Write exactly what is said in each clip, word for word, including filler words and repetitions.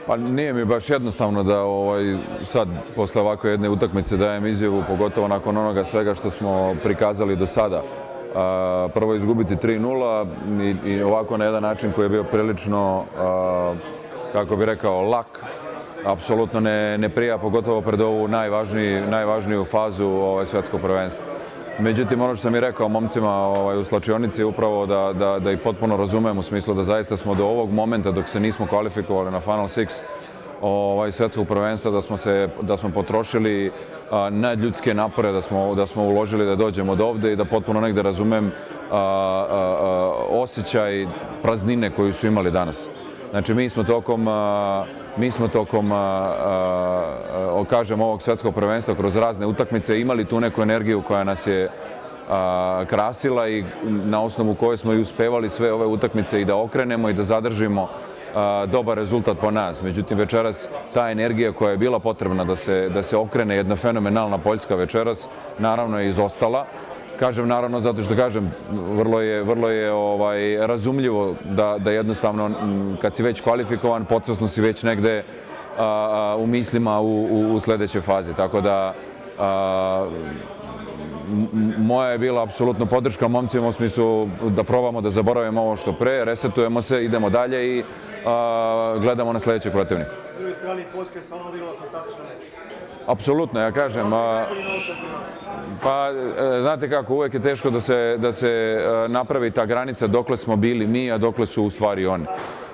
Pa nije mi baš jednostavno da ovaj, sad, posle ovakve jedne utakmice dajem izjavu, pogotovo nakon onoga svega što smo prikazali do sada. A, prvo izgubiti tri nula i, i ovako na jedan način koji je bio prilično, a, kako bi rekao, lak, apsolutno ne, ne prija, pogotovo pred ovu najvažniji, najvažniju fazu ovaj, svetskog prvenstva. Međutim, ono što sam i rekao momcima ovaj, u slačionici je upravo da, da, da ih potpuno razumem u smislu da zaista smo do ovog momenta dok se nismo kvalifikovali na Final Six ovaj, svetskog prvenstva, da smo, se, da smo potrošili a, nadljudske napore, da smo, da smo uložili da dođemo do ovde i da potpuno negde razumem a, a, a, osjećaj praznine koju su imali danas. Znači, mi smo tokom, a, mi smo tokom a, a, kažem, ovog svetskog prvenstva kroz razne utakmice imali tu neku energiju koja nas je a, krasila i na osnovu koje smo i uspevali sve ove utakmice i da okrenemo i da zadržimo a, dobar rezultat po nas. Međutim, večeras ta energija koja je bila potrebna da se, da se okrene jedna fenomenalna Poljska večeras, naravno je izostala. Kažem naravno zato što kažem, vrlo je, vrlo je ovaj, razumljivo da, da jednostavno kad si već kvalifikovan, podsvesno si već negde a, a, u mislima u, u, u sledećoj fazi. Tako da a, moja je bila apsolutno podrška momcima u smislu da probamo da zaboravimo ovo što pre, resetujemo se, idemo dalje i a, gledamo na sledećeg protivnika. S druge strane, Poljska je stvarno odigrala fantastičan meč. Apsolutno, ja kažem. A, pa, znate kako, uvek je teško da se, da se napravi ta granica dokle smo bili mi, a dokle su u stvari oni.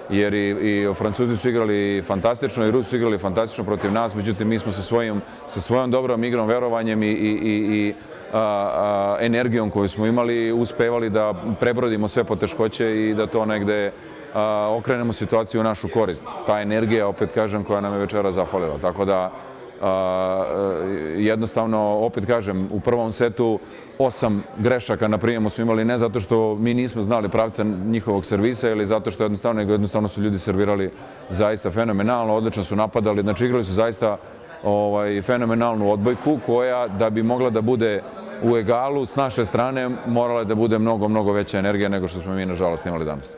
Jer i, i Francuzi su igrali fantastično i Rusi su igrali fantastično protiv nas, međutim mi smo sa, svojim, sa svojom dobrom igrom, verovanjem i, i, i, i a, a, energijom koju smo imali uspevali da prebrodimo sve poteškoće i da to negde a, okrenemo situaciju u našu korist. Ta energija, opet kažem, koja nam je večera zafalila. Tako da a, jednostavno, opet kažem, u prvom setu osam grešaka na prijemu smo imali, ne zato što mi nismo znali pravca njihovog servisa ili zato što jednostavno, nego jednostavno su ljudi servirali zaista fenomenalno, odlično su napadali, znači igrali su zaista ovaj, fenomenalnu odbojku koja da bi mogla da bude u egalu s naše strane morala da bude mnogo, mnogo veća energija nego što smo mi nažalost imali danas.